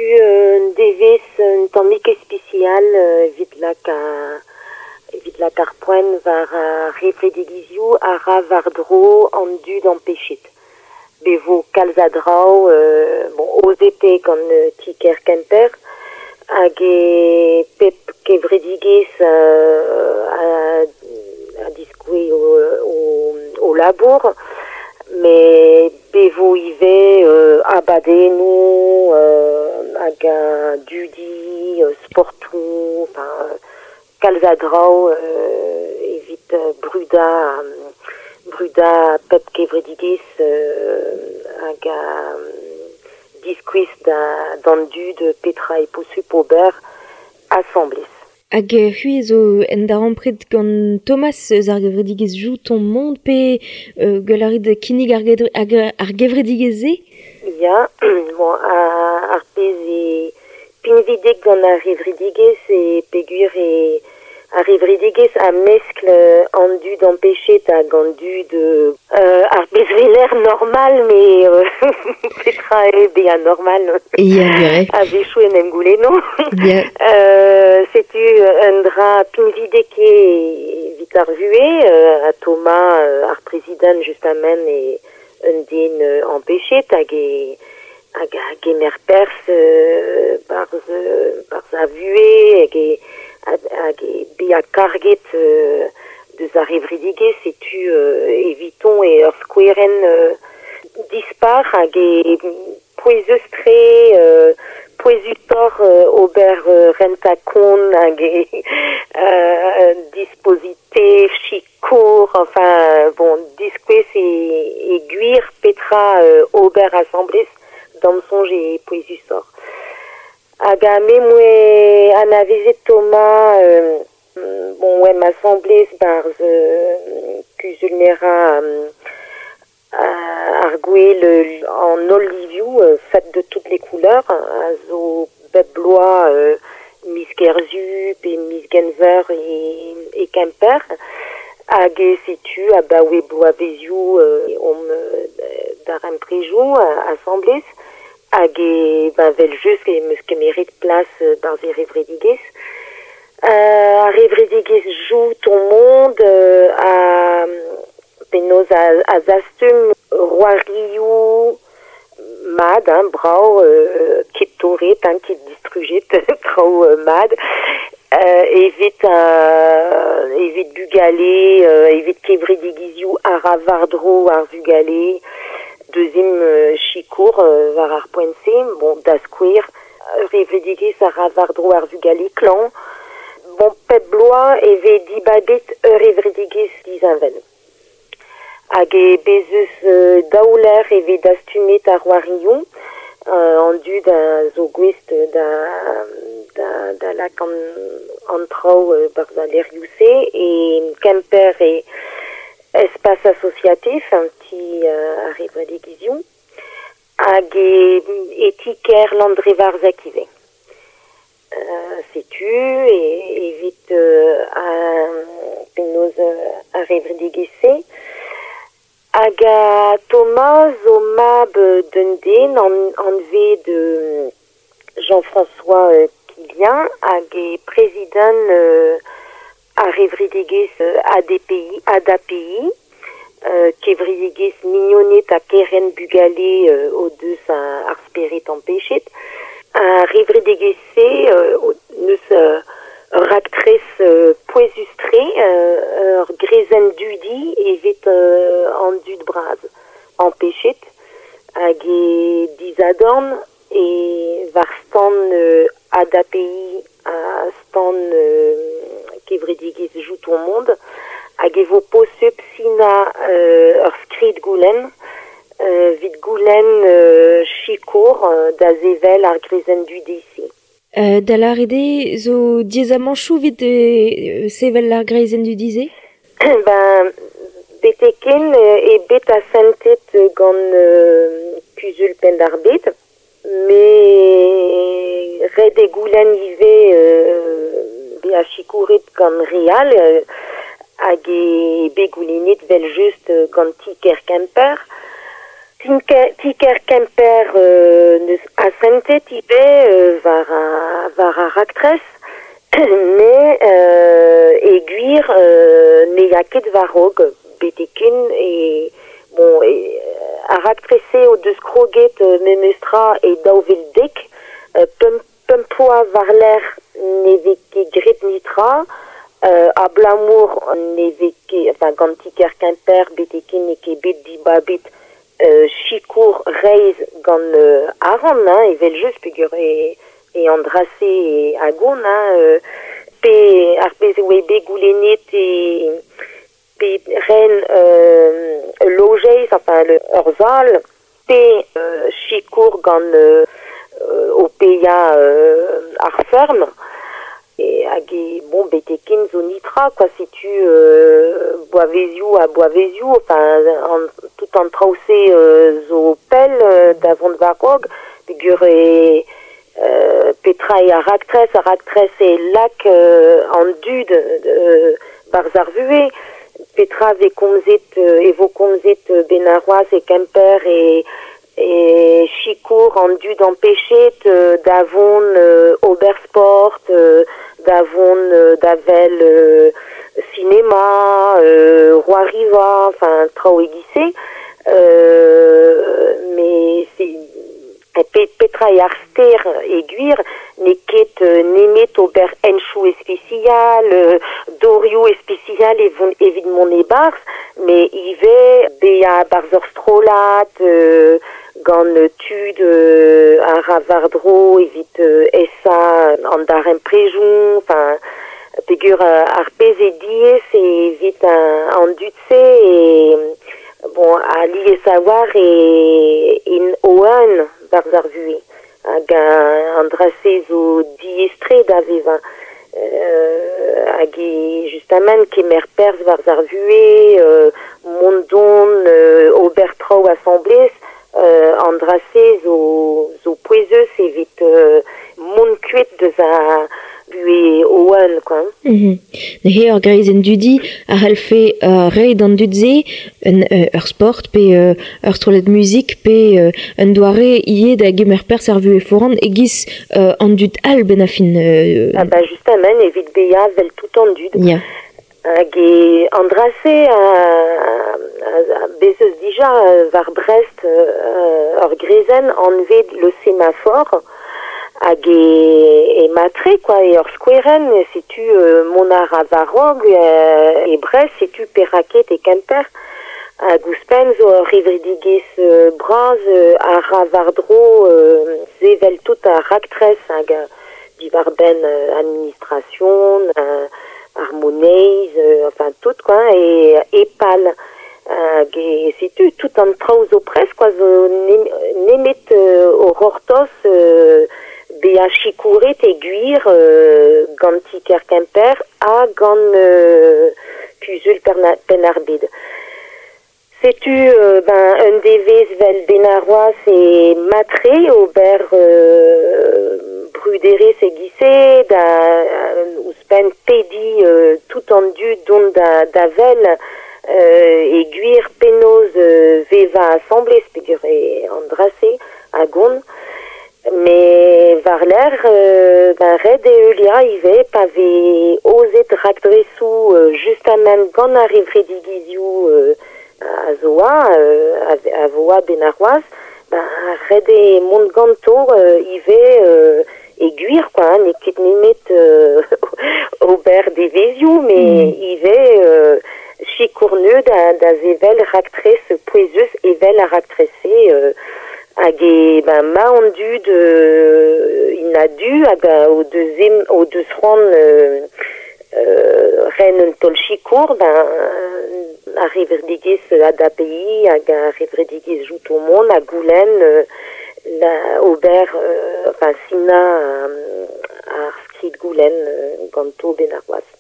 Setu un devezh un tammig ispisial evit lak ar poent war ar c'hevredigezhioù a ra war-dro an dud ampechet. Be vo kalz a draoù bon, aozet eo gant ti-kêr Kemper hag e pep kevredigezh a diskouez o labour. Met be vo ivez abadennoù hag dudi, sportoù, enfin, kalz a draoù evit brudañ pep kevredigezh hag diskouez d'an dud petra eo posupl ober asambles. Hag c'hwi zo en darempred gant Thomas eus ar gevredigezh Joue ton monde pe gwell a rit kinnig ar gevredigezh-se? Ya, bon, ar pezh eo pinvidik gant ar gevredigezh e peogwir eo ar gevredigezh a meskl an dud ampechet hag an dud ar pezh weler normal, met petra eo bezañ normal? Ya, gwir. A-wechoù en em goulenno. Ya. Setu un dra pinvidik eo evit ar vuhez, ha Thomas, ar prezidant justement, eo un den ampechet hag e hag a gemer perzh barzh ar vuhez hag e hag e bezañ karget deus ar gevredigezh, setu eviton eo ur skouerenn dispar hag e pouezus-tre, pouezusoc'h ober rentañ-kont hag e dispositif, sikour, enfin bon, diskouez e gwir petra ober asambles d'am soñj eo pouezusoc'h. Hag a me 'moa anavezet Thomas bon, oemp asambles barzh kuzul-merañ ar gwel an holl livioù, faites de toutes les couleurs, a zo bep bloaz miz Kerzu pe miz Genver e Kemper. Hag setu abaoe bloavezioù omp darempredoù asambles. Hag e ben, vel-just em eus kemeret plas barzh e gevredigezh. Ar gevredigezh Joue ton monde a penaos a zastum c'hoarioù mat, hein, brav, ket torret, hein, ket distrujet, traoù mat, evit bugale, evit kevredigezhioù a ra war-dro ar vugale. Deuxième sikour war ar poent-se, bon, da skouer, gevredigezh a ra war-dro ar vugale klañv. Bon, pep bloaz e vez dibabet ur gevredigezh disheñvel. Hag e bez eus daou lec'h e vez dastumet ar c'hoarioù, an dud a zo gouest da lak an traoù barzh al lec'hioù-se, e Kemper e espace associatif, un ti ar gevredigezhioù, hag e ti-kêr Landrevarzeg ivez. Setu evit penaos ar gevredigezh-se. Hag a Thomas zo mab d'un den anvet Jean-François Quillien hag e prezidant ar gevredigezh ADPI, ADAPI, kevredigezh mignoned ha kerent bugale o deus ar spered ampechet. Ar gevredigezh-se neus ur raktres pouezus-tre, ur grezenn dudi evit an dud bras ampechet hag e disadorn e war stand ADAPI ha stand kevredigezh Joue ton monde hag e vo posupl sinañ ur skrid goulenn evit goulenn sikour da sevel ar grezenn dudi-se. Da lâret eo zo diaezamantoù evit sevel ar greizenn dudi-se? Ben, betek-hen eo bet asantet gant kuzul Penn-ar-Bed, met ret eo goulenn ivez bezañ sikouret gant re all hag eo bet goulennet vel-just gant ti-kêr Kemper. Tiker Kemper neus asentet ivez war ar raktres, mais e gwir ne ya ket war-raok betek-ken e bon e ar raktres-se o deus kroget memestra e 2010, pemp ploaz war-lerc'h ne vez ket graet netra, abalamour ne vez ket, enfin gant Tiker Kemper betek-ken n'eo ket bet dibabet sikour reizh gant arc'hant, hein, evel-just, peogwir e an dra-se e agon, hein, pe ar pezh e oa bet goulennet e pe ren ul lojeiz, enfin ur sal, pe sikour gant o paeañ ar feurm. E hag e bon betek ken zo nitra quoi, setu bloavezioù ha bloavezioù, enfin an, tout an traoù-se zo pell da vont war-raok, peogwir e petra eo ar raktres, ar raktres e lak an dud barzh ar vuhez, petra vez komzet e vo komzet benn arc'hoazh e Kemper e e sikour an dud ampechet da vont ober sport, da vont da wel sinema, c'hoariva, enfin traoù e-giz-se. Mais c'est petra eo ar ster e gwir n'eo ket nemet ober henchoù ispisial, dorioù ispisial evit mont e-barzh, met ivez bezañ barzh ur strollad gant tud a ra war-dro evit esa an darempredoù, enfin peogwir ar pezh eo diaes evit an dud-se e bon alies a-walc'h e int o-un barzh ar vuhez hag an dra-se zo diaes-tre da vevañ hag e justamant kemer perzh barzh ar vuhez, mont-dont, ober traoù asambles, an dra-se zo pouezus evit mont kuit deus ar vuhez o-un quoi. Neuze ur greizenn dudi a c'hallfe reiñ d'an dud-se ur sport pe ur strollad muzik pe un doare ivez da gemer perzh ar vuhez foran e-giz an dud all benn ar fin. Ah bah justement evit bezañ 'vel tout an dud. Ya. Hag e an dra-se a bez eus dija war Brest ur greizenn anvet le Sémaphore hag e matre quoi e ur skouerenn setu mont a ra war-raok e Brest setu perak ket e Kemper hag ouzhpenn zo ur c'hevredigezh bras a ra war-dro sevel tout ar raktres hag diwar-benn administration ar moneiz, enfin tout quoi, e EPAL. Hag e setu tout an traoù zo prest quoi, zo nemet o c'hortoz bezañ sikouret e gwir gant ti-kêr Kemper ha gant Kuzul Penn-ar-Bed. Setu ben un devezh 'vel benn arc'hoazh e matre ober bruderezh e-giz-se da ouzhpenn pediñ tout an dud dont da wel e gwir penaos vevañ asambles peogwir eo an dra-se a gont. Met war-lerc'h ben ret eo heuliañ ivez pa vez aozet raktresoù justamant gant ar c'hevredigezhioù a zo a vo a-benn arc'hoazh, ben ret eo mont ganto ivez e gwir quoi, n'eo ket nemet ober devezhioù, met ivez sikour neu da sevel raktres pouezus evel ar raktres-se hag e ben ma an dud int a-du hag o deus c'hoant ren un taol sikour, ben ar c'hevredigezh ADAPI hag ar c'hevredigezh Jout o mont ha goulenn da ober enfin sinañ ar skrid goulenn ganto benn arc'hoazh.